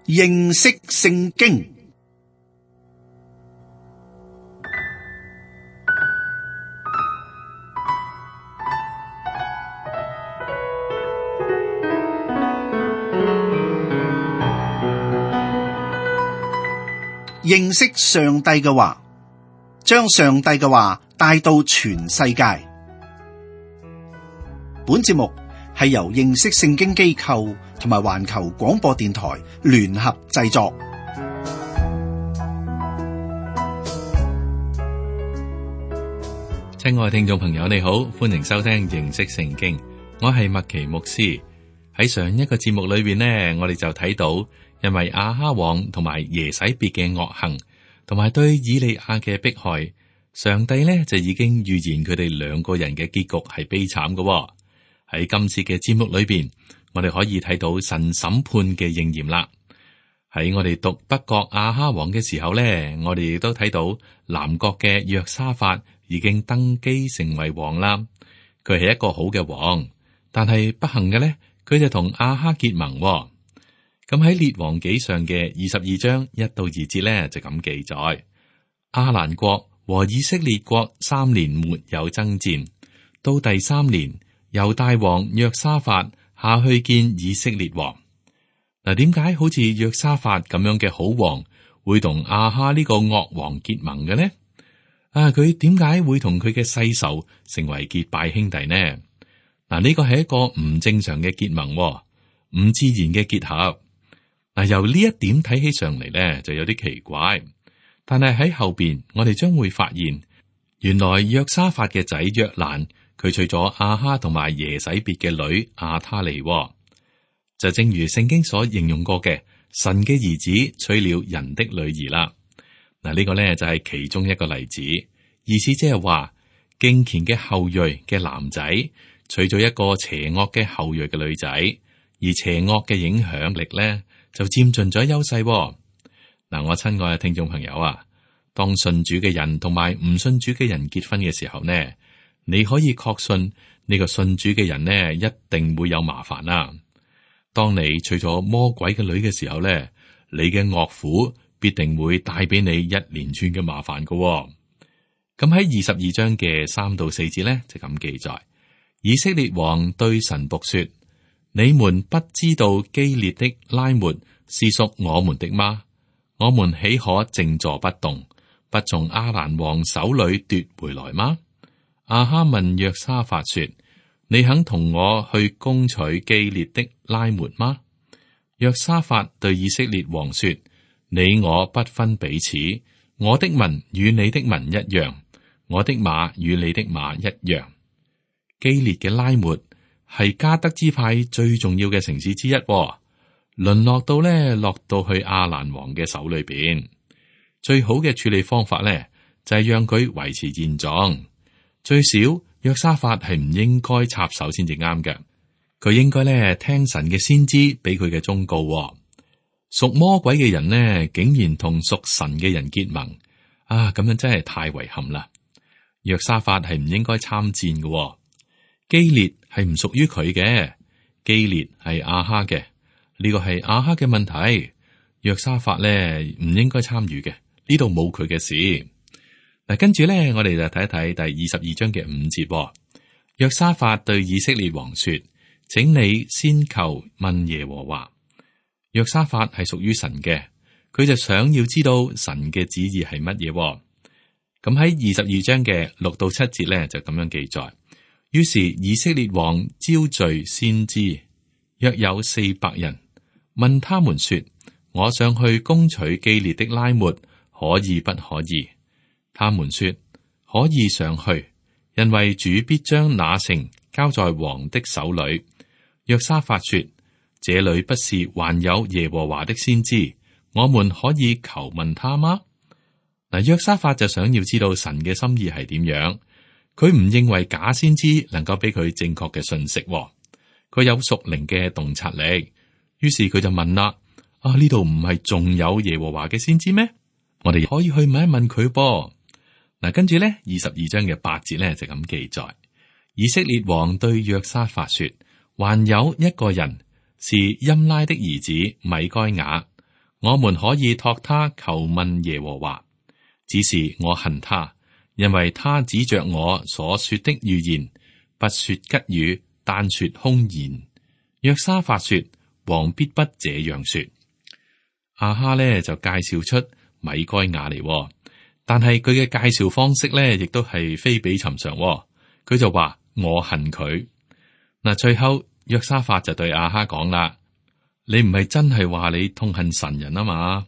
認識聖經。認識上帝嘅話，將上帝嘅話帶到全世界。本節目係由認識聖經機構同埋環球廣播電台聯合製作。親愛聽眾朋友，你好，歡迎收聽認識聖經。我係麥奇牧師。喺上一個節目裏邊呢，我哋就睇到，因為亞哈王同埋耶洗別嘅惡行，同埋對以利亞嘅迫害，上帝呢就已經預言佢哋兩個人嘅結局係悲慘嘅。喺今次嘅節目裏邊，我哋可以睇到神審判嘅應驗啦。喺我哋讀北國亞哈王嘅時候呢，我哋亦都睇到南國嘅約沙法已經登基成為王啦。佢係一個好嘅王，但係不幸嘅呢，佢就同亞哈結盟。咁喺列王紀上嘅22章1到2節呢，就咁記載：亞蘭國和以色列國3年沒有爭戰，到第3年，猶大王約沙法下去見以色列王。嗱，點解好似約沙法咁樣嘅好王會同亞哈呢個惡王結盟嘅呢？佢點解會同佢嘅世仇成為結拜兄弟呢？嗱，呢個係一個唔正常嘅結盟，唔自然嘅結合。嗱，由呢一點睇起上嚟咧，就有啲奇怪。但係喺後邊，我哋將會發現，原來約沙法嘅仔約蘭，佢娶咗亞哈同埋耶洗別嘅女亞他利。就正如聖經所形容過嘅，神嘅兒子娶了人的女兒啦。嗱，呢個咧就係其中一個例子，意思即係話敬虔嘅後裔嘅男仔娶咗一個邪惡嘅後裔嘅女仔，而邪惡嘅影響力咧就佔盡咗優勢。嗱，我親愛嘅聽眾朋友啊，當信主嘅人同埋唔信主嘅人結婚嘅時候呢，你可以確信呢個信主嘅人呢一定會有麻煩啦。當你娶咗魔鬼嘅女嘅時候呢，你嘅岳父必定會帶俾你一連串嘅麻煩噶。咁喺22章嘅3到4節呢，就咁記載：以色列王對神僕說，你們不知道基列的拉末是屬我們的嗎？我們豈可靜坐不動，不從亞蘭王手裏奪回來嗎？亞哈問約沙法說，你肯同我去攻取基列的拉末嗎？約沙法對以色列王說，你我不分彼此，我的民與你的民一樣，我的馬與你的馬一樣。基列嘅拉末係迦得支派最重要嘅城市之一，淪落到落到去亞蘭王嘅手裏邊。最好嘅處理方法呢，就係讓佢維持現狀，最少約沙法係唔應該插手先至啱嘅。佢應該聽神嘅先知俾佢嘅忠告。屬魔鬼嘅人呢，竟然同屬神嘅人結盟啊！咁樣真係太遺憾啦。約沙法係唔應該參戰嘅。基列係唔屬於佢嘅，基列係亞哈嘅，呢個係亞哈嘅問題。約沙法咧唔應該參與嘅，呢度冇佢嘅事。嗱，跟住咧，我哋就睇一睇第22章嘅5節。約沙法對以色列王說，請你先求問耶和華。約沙法係屬於神嘅，佢就想要知道神嘅旨意係乜嘢。咁喺22章嘅6到7節咧就咁樣記載。於是以色列王招聚先知，約有400人，問他們說，我上去攻取基列的拉末，可以不可以？他們說，可以上去，因為主必將那城交在王的手裏。約沙法說，這裏不是還有耶和華的先知，我們可以求問他嗎？嗱，約沙法就想要知道神嘅心意係點樣。佢唔認為假先知能夠俾佢正確嘅信息，佢有屬靈嘅洞察力，於是佢就問啦：呢度唔係仲有耶和華嘅先知咩？我哋可以去問一問佢噃。嗱，跟住咧22章嘅8節咧就咁記載：以色列王對約沙法說，還有一個人是音拉的兒子米該雅，我們可以託他求問耶和華。只是我恨他，因為他指着我所說的預言，不說吉語，單說凶言。約沙法說：王必不這樣說。亞哈呢就介紹出米該亞嚟，但係佢嘅介紹方式呢，亦都係非比尋常。佢就話：我恨佢。嗱，最後約沙法就對亞哈講啦：你唔係真係話你痛恨神人啊嘛？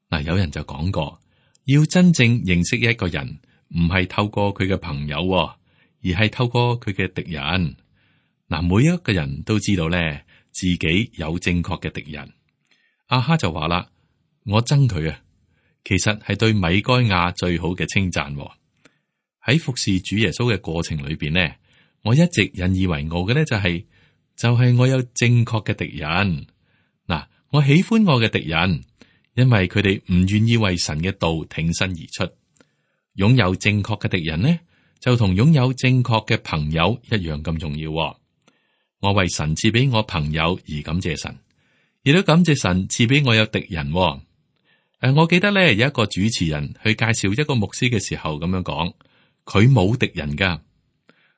嗱，有人就講過，要真正認識一個人，唔係透過佢嘅朋友，而係透過佢嘅敵人。嗱，每一個人都知道咧，自己有正確嘅敵人。亞哈就話啦：我憎佢啊！其實係對米該亞最好嘅稱讚。喺服侍主耶穌嘅過程裏邊呢，我一直引以為傲嘅咧就係我有正確嘅敵人。嗱，我喜歡我嘅敵人，因為佢哋唔願意為神嘅道挺身而出。擁有正確嘅敵人呢，就同擁有正確嘅朋友一樣咁重要。我為神賜俾我朋友而感謝神，亦都感謝神賜俾我有敵人。我記得咧有一個主持人去介紹一個牧師嘅時候咁樣講，佢冇敵人噶，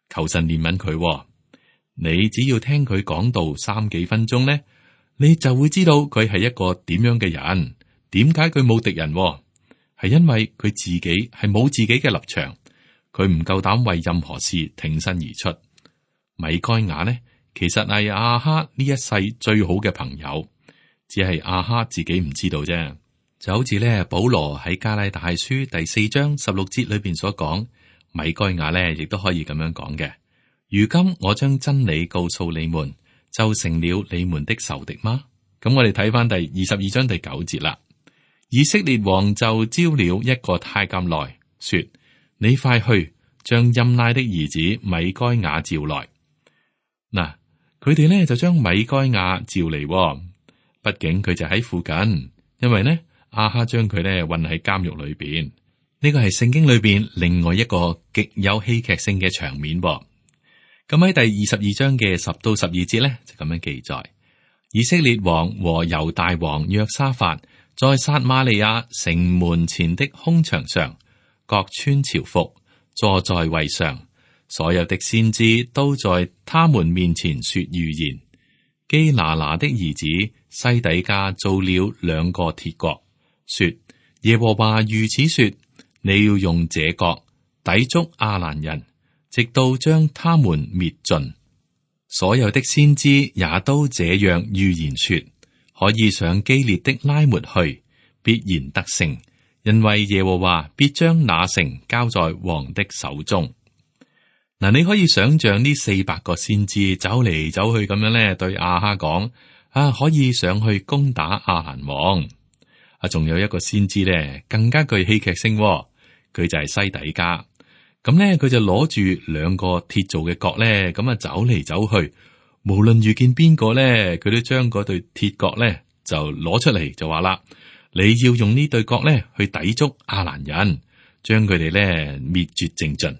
求神憐憫佢。你只要聽佢講道3幾分鐘咧，你就會知道佢係一個點樣嘅人。點解佢冇敵人？係因為佢自己係冇自己嘅立場，佢唔夠膽為任何事挺身而出。米該亞呢，其實係亞哈呢一世最好嘅朋友，只係亞哈自己唔知道啫。就好似咧保羅喺加拉太書第4章16節裏邊所講，米該亞咧亦都可以咁樣講嘅。如今我將真理告訴你們，就成了你們的仇敵嗎？咁我哋睇翻第22章第9節啦。以色列王就招了一個太監來說：你快去將任拉的兒子米該亞召來。嗱，佢哋咧就將米該亞召嚟，畢竟佢就喺附近，因為呢亞哈將佢咧運喺監獄裏邊。呢個係聖經裏邊另外一個極有戲劇性嘅場面。咁喺第22章嘅10到12節咧就咁樣記載：以色列王和猶大王約沙法在撒瑪利亞城門前的空場上，各穿朝服，坐在位上。所有的先知都在他們面前說預言。基拿拿的兒子西底家造了2個鐵角，說：耶和華如此說，你要用這角抵觸亞蘭人，直到將他們滅盡。所有的先知也都這樣預言說，可以上基列的拉末去，必然得勝，因為耶和華必將那城交在王的手中。嗱，你可以想象呢400個先知走嚟走去咁樣咧，對亞哈講：可以上去攻打亞蘭王。仲有一個先知咧，更加具戲劇性，佢就係西底家。咁咧，佢就攞住2個鐵做嘅角咧，咁走嚟走去，無論遇見邊個咧，佢都將嗰對鐵角咧就攞出嚟，就話啦：你要用呢對角咧去抵觸亞蘭人，將佢哋咧滅絕淨盡。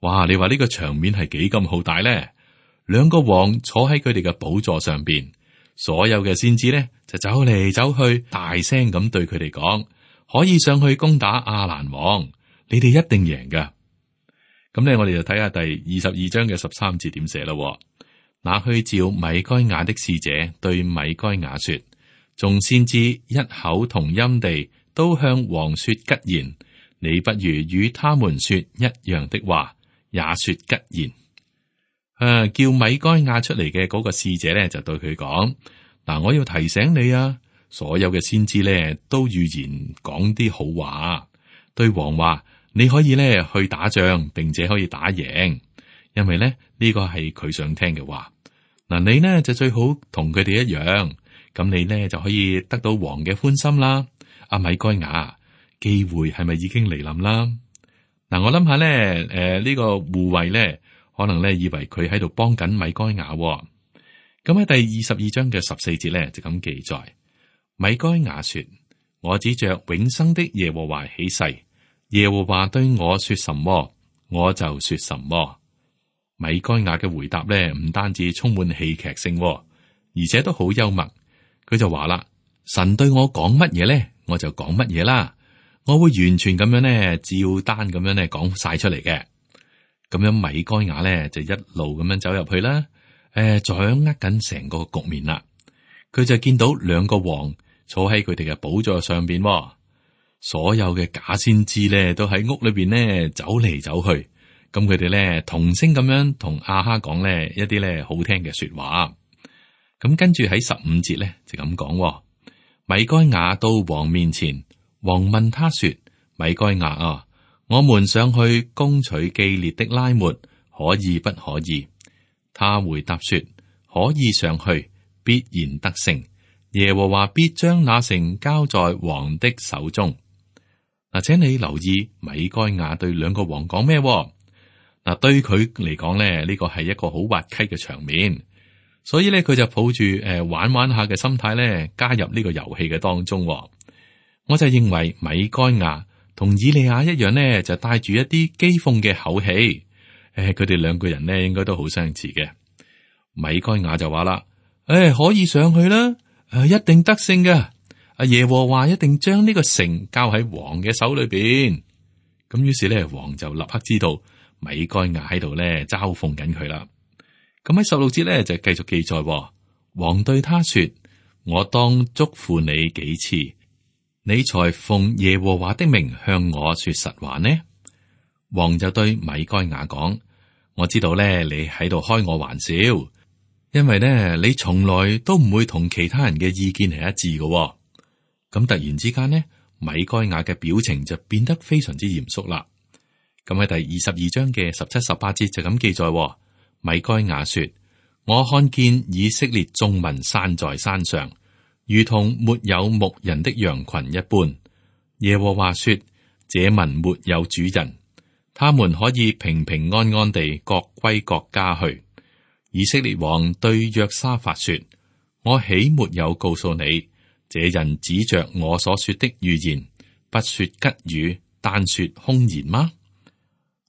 哇！你話呢個場面係幾咁浩大咧？2個王坐喺佢哋嘅寶座上邊，所有嘅先知咧就走嚟走去，大聲咁對佢哋講：可以上去攻打亞蘭王，你哋一定贏噶。咁咧，我哋就睇下第22章嘅13節點寫啦。那去召米該亞的使者對米該亞說：眾先知一口同音地都向王說吉言，你不如與他們說一樣的話，也說吉言。叫米該亞出嚟嘅嗰個使者咧，就對佢講：嗱，我要提醒你啊，所有嘅先知咧都預言講啲好話，對王話你可以咧去打仗，並且可以打贏，因為咧呢個係佢想聽嘅話。嗱，你呢就最好同佢哋一樣，咁你呢就可以得到王嘅歡心啦。阿米該亞，機會係咪已經嚟臨啦？嗱，我諗下咧，呢個護衛咧，可能咧以為佢喺度幫緊米該亞。咁喺第22章嘅14節咧就咁記載：米該亞說：我指着永生的耶和華起誓，耶和華對我說什麼，我就說什麼。米該亞嘅回答咧，唔單止充滿戲劇性，而且都好幽默。佢就話啦：神對我講乜嘢咧，我就講乜嘢啦。我會完全咁樣咧，照單咁樣咧講晒出嚟嘅。咁樣米該亞咧就一路咁樣走入去啦，掌握緊成個局面啦。佢就見到兩個王坐喺佢哋嘅寶座上邊，所有嘅假先知咧都喺屋裏邊咧走嚟走去。咁佢哋咧同聲咁樣同亞哈講咧一啲咧好聽嘅說話。咁跟住喺15節咧就咁講，米該亞到王面前，王問他說：米該亞啊，我們上去攻取基列的拉末，可以不可以？他回答說：可以上去，必然得勝。耶和華必將那城交在王的手中。嗱，請你留意米該亞對兩個王講咩？嗱，對佢嚟講咧，呢個係一個好滑稽嘅場面，所以咧佢就抱住玩玩下嘅心態咧，加入呢個遊戲嘅當中。我就認為米該亞同以利亞一樣呢，就帶住一啲譏諷嘅口氣。佢哋兩個人呢，應該都好相似嘅。米該亞就話啦：可以上去啦，一定得勝嘅。阿耶和華一定將呢個城交喺王嘅手裏邊。咁於是咧，王就立刻知道米該亞喺度咧嘲諷緊佢啦。咁喺16節咧就繼續記載，王對他說：我當囑咐你幾次，你才奉耶和華的名向我說實話呢？王就對米該亞講：我知道咧你喺度開我玩笑，因為咧你從來都唔會同其他人嘅意見係一致嘅。咁突然之間呢，米該亞嘅表情就變得非常之嚴肅啦。咁喺第22章嘅17、18節就咁記載，米該亞說：我看見以色列眾民散在山上，如同沒有牧人的羊群一般。耶和華說：這民沒有主人，他們可以平平安安地各歸各家去。以色列王對約沙法說：我豈沒有告訴你，這人指着我所說的預言，不說吉語，單說凶言嗎？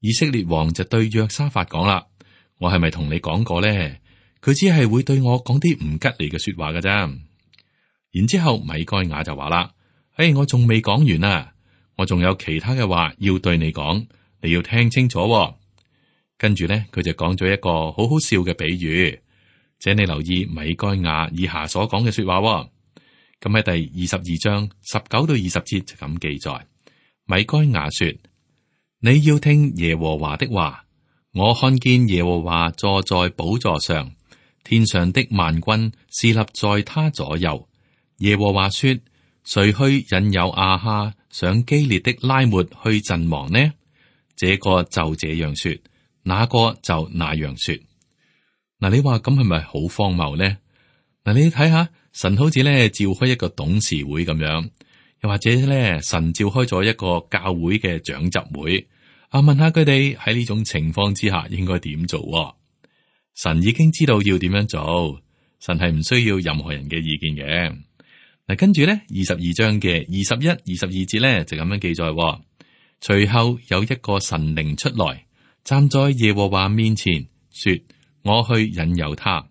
以色列王就對約沙法講啦：我係咪同你講過咧？佢只係會對我講啲唔吉利嘅說話㗎咋。然之後米該亞就話啦：我仲未講完啊，我仲有其他嘅話要對你講，你要聽清楚。跟住咧，佢就講咗一個好好笑嘅比喻，請你留意米該亞以下所講嘅說話。咁喺第22章19到20節就咁記載，米該亞說：你要聽耶和華的話，我看見耶和華坐在寶座上，天上的萬軍侍立在他左右。耶和華說：誰去引誘亞哈上基列的拉末去陣亡呢？這個就這樣說，那個就那樣說。嗱，你話咁係咪好荒謬呢？嗱，你睇下，神好似咧召開一個董事會咁樣，又或者咧神召開咗一個教會嘅長執會，問下佢哋喺呢種情況之下應該點做。神已經知道要點樣做，神係唔需要任何人嘅意見嘅。嗱，跟住咧22章嘅21、22節咧就咁樣記載，隨後有一個神靈出來，站在耶和華面前，說：我去引誘他。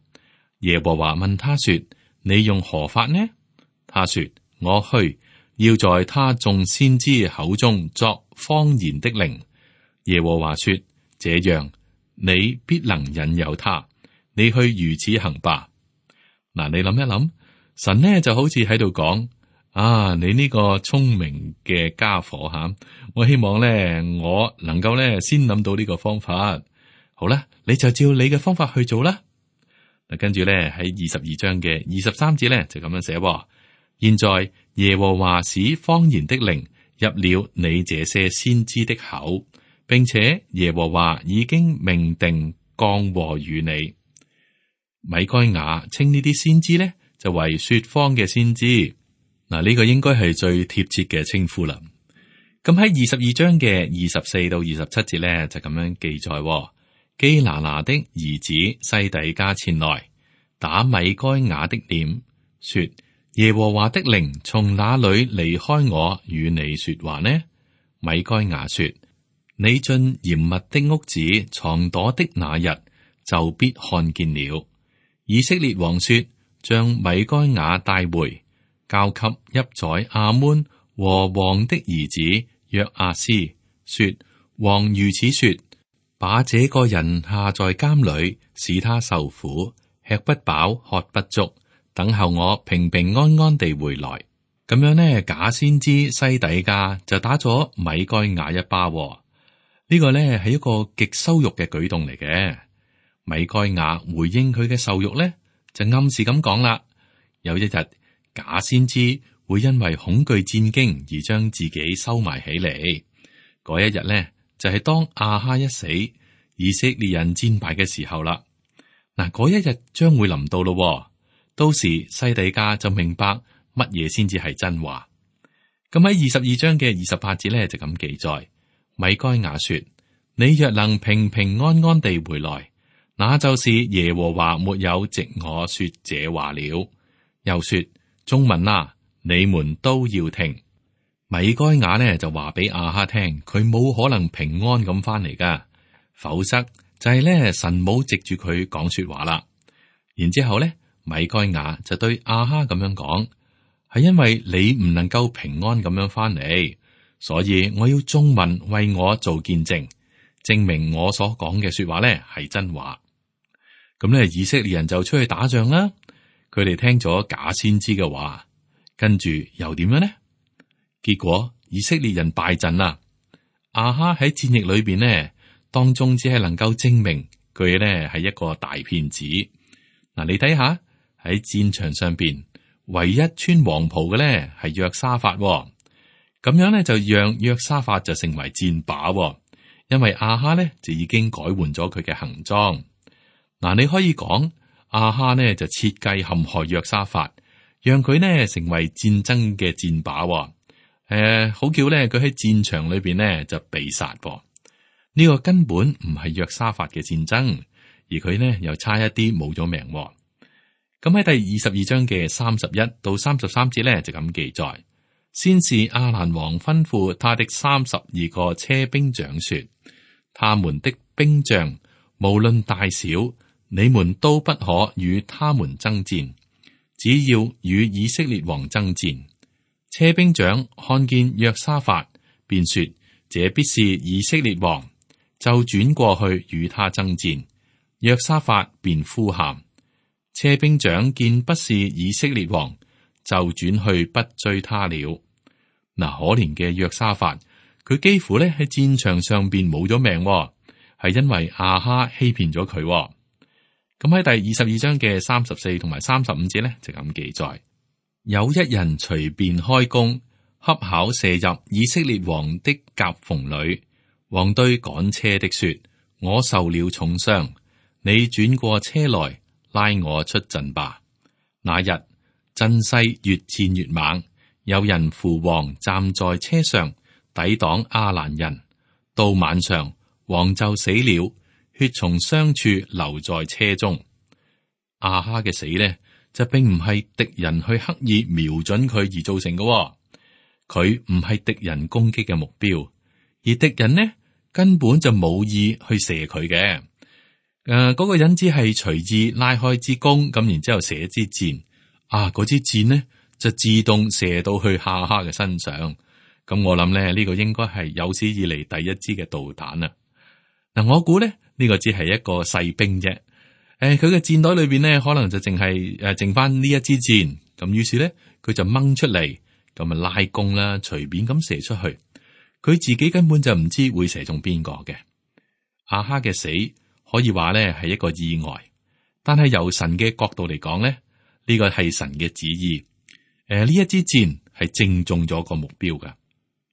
耶和華問他說：你用何法呢？他說：我去，要在他眾先知口中作謊言的靈。耶和華說：這樣你必能引誘他，你去如此行吧。嗱，你諗一諗，神呢就好似喺度講：你呢個聰明嘅家伙吓，我希望咧我能夠咧先諗到呢個方法。好啦，你就照你嘅方法去做啦。嗱，跟住咧喺22章嘅23節咧就咁樣寫：現在耶和華使謊言的靈入了你這些先知的口，並且耶和華已經命定降禍與你。米該亞稱呢啲先知咧就為說謊嘅先知。嗱，呢個應該係最貼切嘅稱呼啦。咁喺22章嘅24到27節咧就咁樣記載：基拿拿的兒子西底家前來打米該亞的臉，說：耶和華的靈從哪裏離開我與你說話呢？米該亞說：你進嚴密的屋子藏躲的那日，就必看見了。以色列王說：將米該亞帶回，交給邑宰亞捫和王的兒子約阿斯，說：王如此說，把這個人下在監裏，使他受苦，吃不飽，喝不足，等候我平平安安地回來。咁樣呢，假先知西底家就打咗米該雅一巴。呢個呢係一個極羞辱嘅舉動嚟嘅。米該雅回應佢嘅受辱呢，就暗示咁講啦：有一日假先知會因為恐懼戰驚而將自己收埋起嚟。嗰一日呢，就係當亞哈一死，以色列人戰敗嘅時候啦。嗱，嗰一日將會臨到咯。到時西底家就明白乜嘢先至係真話。咁喺22章嘅28節咧就咁記載：米該雅說，你若能平平安安地回來，那就是耶和華沒有藉我說這話了。又說，眾民啊，你們都要聽。米該雅呢就話俾亞哈聽，佢冇可能平安咁翻嚟噶，否則就係咧神冇藉住佢講說話啦。然之後咧，米該雅就對亞哈咁樣講，係因為你唔能夠平安咁樣翻嚟，所以我要眾民為我做見證，證明我所講嘅說話咧係真話。咁咧，以色列人就出去打仗啦。佢哋聽咗假先知嘅話，跟住又點樣呢？結果以色列人敗陣啦。亞哈喺戰役裏邊呢，當中只係能夠證明佢呢係一個大騙子。嗱，你睇下喺戰場上邊，唯一穿黃袍嘅呢係約沙法，咁樣呢就讓約沙法就成為箭靶，因為亞哈呢就已經改換咗佢嘅行裝。嗱，你可以講亞哈呢就設計陷害約沙法，讓佢呢成為戰爭嘅箭靶。好叫咧，佢喺戰場裏邊呢就被殺噃。呢個根本唔係約沙法嘅戰爭，而佢呢又差一啲冇咗命。咁喺第22章嘅31到33節呢就咁記載：先是亞蘭王吩咐他的32個車兵長說，他們的兵將無論大小，你們都不可與他們爭戰，只要與以色列王爭戰。車兵長看見約沙法，便說：這必是以色列王，就轉過去與他爭戰。約沙法便呼喊。車兵長見不是以色列王，就轉去不追他了。嗱，可憐嘅約沙法，佢幾乎咧喺戰場上邊冇咗命，係因為亞哈欺騙咗佢。咁喺第22章嘅34同埋35節咧就咁記載。有一人隨便開弓，恰巧射入以色列王的夾縫裏。王對趕車的說：我受了重傷，你轉過車來拉我出陣吧。那日陣勢越戰越猛，有人扶王站在車上抵擋亞蘭人。到晚上，王就死了，血從傷處流在車中。亞哈嘅死呢，就並唔係敵人去刻意瞄準佢而造成嘅，佢唔係敵人攻擊嘅目標，而敵人呢根本就冇意去射佢嘅。嗰個人只係隨意拉開支弓，咁然之後射支箭，嗰支箭呢就自動射到去亞哈嘅身上。咁我諗咧，呢個應該係有史以嚟第一支嘅導彈啦。嗱，我估咧呢個只係一個細兵啫。佢嘅箭袋裏邊呢，可能就淨係剩翻呢一支箭。咁於是咧，佢就掹出嚟，咁啊拉弓啦，隨便咁射出去。佢自己根本就唔知會射中邊個嘅。亞哈嘅死可以話咧係一個意外，但係由神嘅角度嚟講咧，呢個係神嘅旨意。呢一支箭係正中咗個目標噶。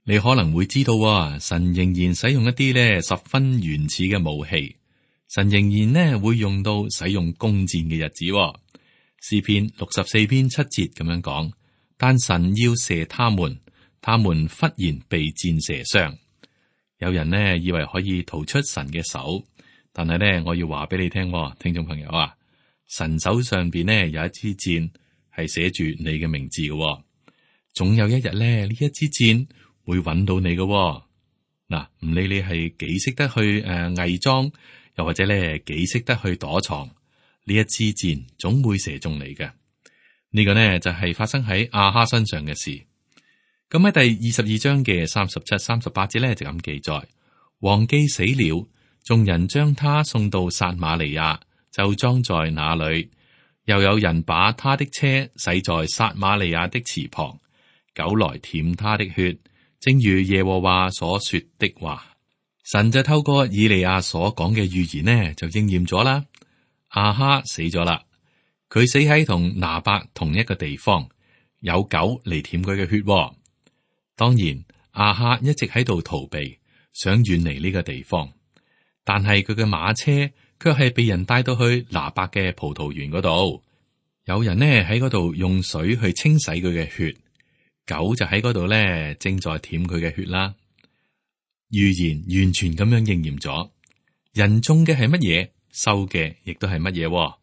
你可能會知道，神仍然使用一啲咧十分原始嘅武器。神仍然呢會用到使用弓箭嘅日子。詩篇64篇7節咁樣講，但神要射他們，他們忽然被箭射傷。有人呢以為可以逃出神嘅手，但係呢我要話俾你聽，聽眾朋友啊，神手上邊呢有一支箭係寫住你嘅名字嘅，總有一日呢呢一支箭會揾到你嘅。嗱，唔理你係幾識得去偽裝。又或者咧，幾識得去躲藏，呢一支箭總會射中你嘅。呢個呢就係發生喺亞哈身上嘅事。咁喺第22章嘅37、38節呢就咁記載：王既死了，眾人將他送到撒瑪利亞，就裝在那裏。又有人把他的車洗在撒瑪利亞的池旁，狗來舔他的血，正如耶和華所說的話。神就透過以利亞所講嘅預言呢，就應驗咗啦。亞哈死咗啦，佢死喺同拿伯同一個地方，有狗嚟舔佢嘅血。當然，亞哈一直喺度逃避，想遠離呢個地方，但係佢嘅馬車卻係被人帶到去拿伯嘅葡萄園嗰度。有人呢喺嗰度用水去清洗佢嘅血，狗就喺嗰度呢正在舔佢嘅血啦。預言完全咁樣應驗咗，人種嘅係乜嘢，收嘅亦都係乜嘢。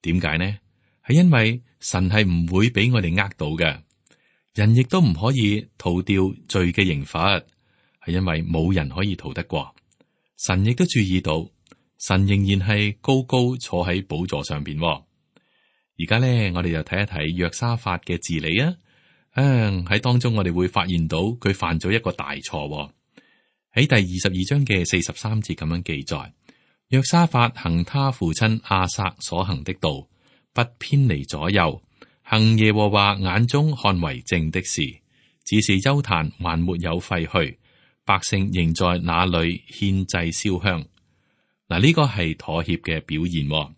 點解呢？係因為神係唔會俾我哋呃到嘅，人亦都唔可以逃掉罪嘅刑罰，係因為冇人可以逃得過。神亦都注意到，神仍然係高高坐喺寶座上邊。而家咧，我哋就睇一睇約沙法嘅治理啊。喺當中我哋會發現到佢犯咗一個大錯。喺第22章嘅43節咁樣記載：約沙法行他父親亞撒所行的道，不偏離左右，行耶和華眼中看為正的事，只是邱壇還沒有廢去，百姓仍在那裏獻祭燒香。嗱，呢個係妥協嘅表現，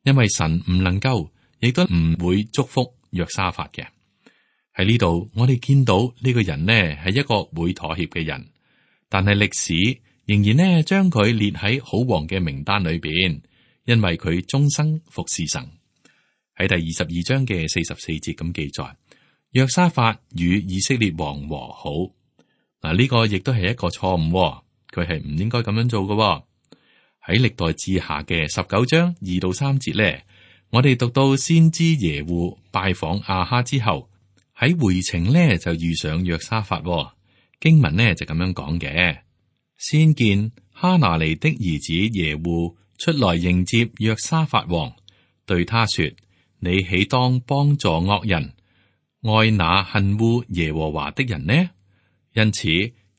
因為神唔能夠，亦都唔會祝福約沙法嘅。喺呢度，我哋見到呢個人呢係一個會妥協嘅人，但係歷史仍然呢將佢列喺好王嘅名單裏邊，因為佢終生服侍神。喺第22章嘅44節咁記載，約沙法與以色列王和好。嗱，呢個亦都係一個錯誤，佢係唔應該咁樣做嘅。喺歷代志下嘅19章2到3節咧，我哋讀到先知耶戶拜訪亞哈之後，喺回程呢就遇上約沙法。經文呢就咁樣講嘅：先見哈拿尼的兒子耶戶出來迎接約沙法王，對他說：你豈當幫助惡人，愛那恨惡耶和華的人呢？因此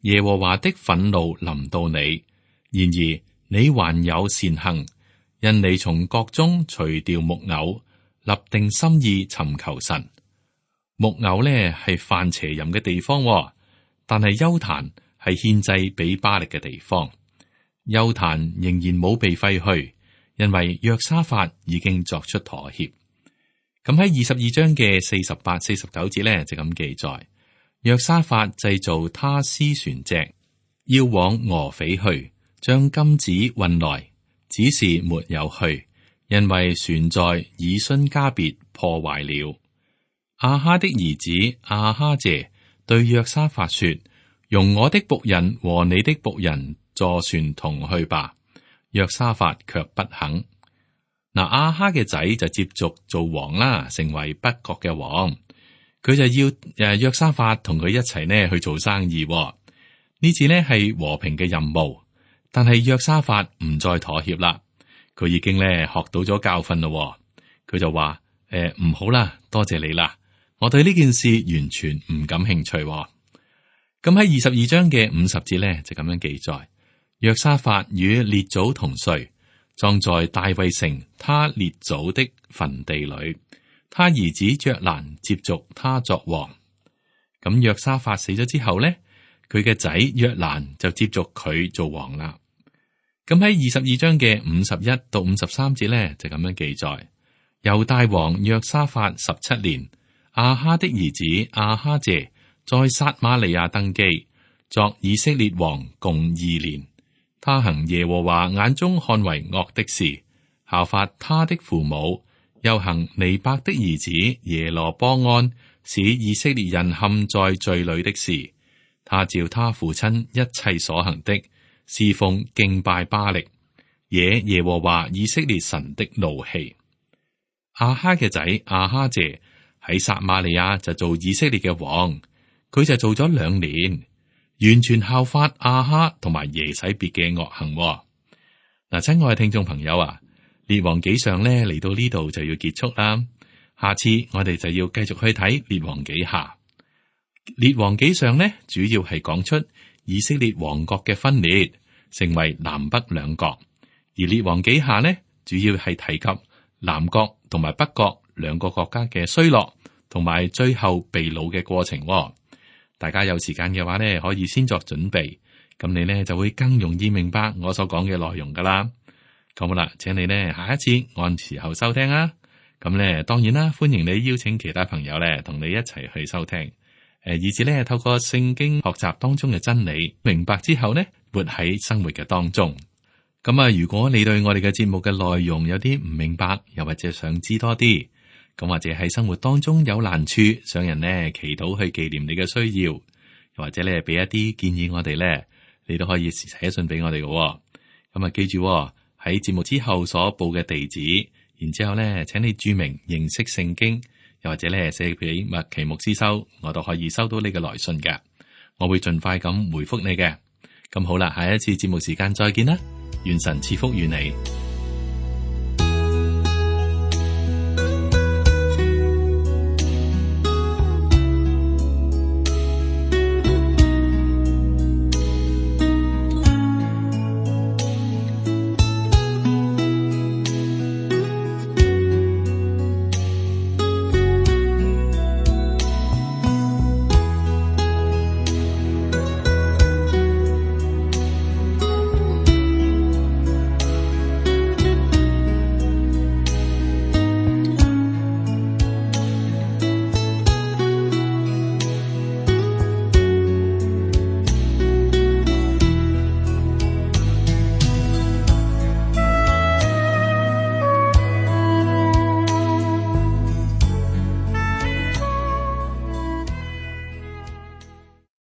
耶和華的憤怒臨到你，然而你還有善行，因你從國中除掉木偶，立定心意尋求神。木偶呢係犯邪淫嘅地方，但係邱壇係獻祭俾巴力嘅地方。邱壇仍然冇被廢去，因為約沙法已經作出妥協。咁喺22章嘅48、49節呢，就咁記載：約沙法製造他施船隻，要往俄斐去，將金子運來，只是沒有去，因為船在以孫加別破壞了。亞哈的兒子亞哈謝對約沙法說：容我的僕人和你的僕人坐船同去吧。約沙法卻不肯。嗱，亞哈嘅仔就接續做王啦，成為北國嘅王。佢就要約沙法同佢一齊呢去做生意。呢次呢係和平嘅任務，但係約沙法唔再妥協啦。佢已經呢學到咗教訓咯。佢就話：唔好啦，多謝你啦，我對呢件事完全唔感興趣。咁喺22章嘅50節呢，就咁樣記載：約沙法與列祖同睡，葬在大衛城他列祖的墳地裏，他兒子約蘭接續他作王。咁約沙法死咗之後呢，佢嘅仔約蘭就接續佢做王啦。咁喺22章嘅51到53節呢，就咁樣記載：猶大王約沙法17年，亞哈的兒子亞哈謝在撒瑪利亞登基，作以色列王共2年。他行耶和華眼中看為惡的事，效法他的父母，又行尼伯的兒子耶羅波安使以色列人陷在罪裏的事。他照他父親一切所行的，侍奉敬拜巴力，惹耶和華以色列神的怒氣。亞哈嘅仔亞哈謝喺撒瑪利亞就做以色列嘅王，佢就做咗2年。完全效法亞哈同埋耶洗別嘅惡行。嗱，親愛嘅聽眾朋友啊，列王紀上咧嚟到呢度就要結束啦。下次我哋就要繼續去睇列王紀下。列王紀上呢，主要係講出以色列王國嘅分裂，成為南北兩國；而列王紀下呢，主要係提及南國同埋北國兩個國家嘅衰落，同埋最後被擄嘅過程。大家有時間嘅話呢，可以先作準備，咁你呢就會更容易明白我所講嘅內容噶啦。咁好啦，請你呢下一次按時候收聽啊。咁呢當然啦，歡迎你邀請其他朋友呢同你一齊去收聽，以至呢透過聖經學習當中嘅真理，明白之後呢活喺生活嘅當中。咁啊，如果你對我哋嘅節目嘅內容有啲唔明白，又或者想知多啲，咁或者喺生活當中有難處，想人呢祈禱去紀念你嘅需要，又或者咧俾一啲建議我哋咧，你都可以寫信俾我哋嘅。咁啊，記住喺節目之後所報嘅地址，然之後咧，請你注明認識聖經，又或者咧寫俾麥奇牧師收，我都可以收到你嘅來信嘅，我會盡快咁回覆你嘅。咁好啦，下一次節目時間再見啦，願神賜福與你。